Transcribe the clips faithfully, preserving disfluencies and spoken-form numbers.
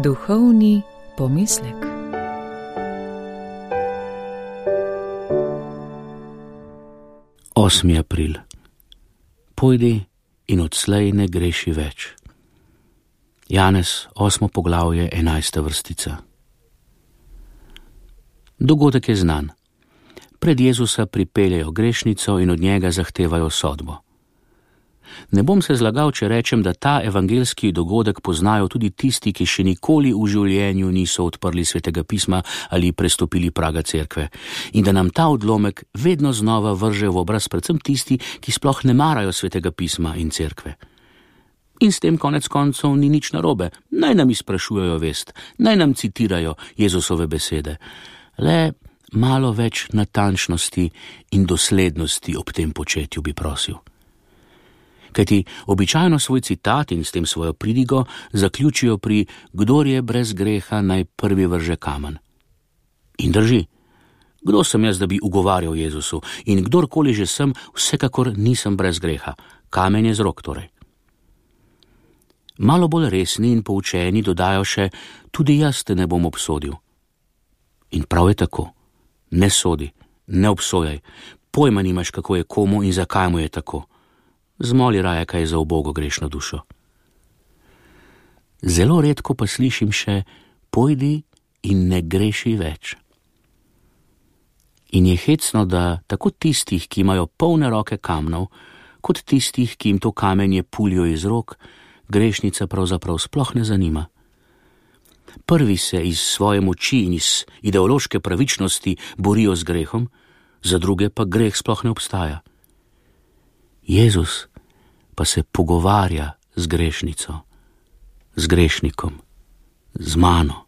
Duhovni pomislek. osmi april. Pojdi in odslej ne greši več. Janez, osmo poglavje, enajsta vrstica. Dogodek je znan. Pred Jezusa pripeljejo grešnico in od njega zahtevajo sodbo. Ne bom se zlagal, če rečem, da ta evangeljski dogodek poznajo tudi tisti, ki še nikoli v življenju niso odprli Svetega pisma ali prestopili praga cerkve, in da nam ta odlomek vedno znova vrže v obraz predvsem tisti, ki sploh ne marajo Svetega pisma in cerkve. In s tem konec koncev ni nič narobe. Naj nam izprašujejo vest, naj nam citirajo Jezusove besede. Le malo več natančnosti in doslednosti ob tem početju bi prosil. Kajti običajno svoj citat in s tem svojo pridigo zaključijo pri kdor je brez greha, naj prvi vrže kamen. In drži. Kdo sem jaz, da bi ugovarjal Jezusu? In kdorkoli že sem, vsekakor nisem brez greha. Kamen je z rok torej. Malo bolj resni in poučeni dodajo še, tudi jaz te ne bom obsodil. In prav je tako. Ne sodi, ne obsojaj. Pojma nimaš, kako je komu in zakaj mu je tako. Zmoli raje kaj za ubogo grešno dušo. Zelo redko pa slišim še, pojdi in ne greši več. In je hecno, da tako tistih, ki imajo polne roke kamnov, kot tistih, ki jim to kamenje puljo iz rok, grešnica pravzaprav sploh ne zanima. Prvi se iz svoje moči in iz ideološke pravičnosti borijo z grehom, za druge pa greh sploh ne obstaja. Jezus pa se pogovarja z grešnico, z grešnikom, z mano.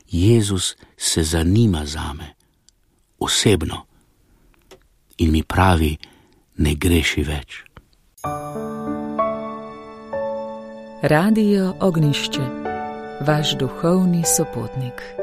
Jezus se zanima zame, osebno, in mi pravi, ne greši več. Radio Ognjišče, vaš duhovni sopotnik.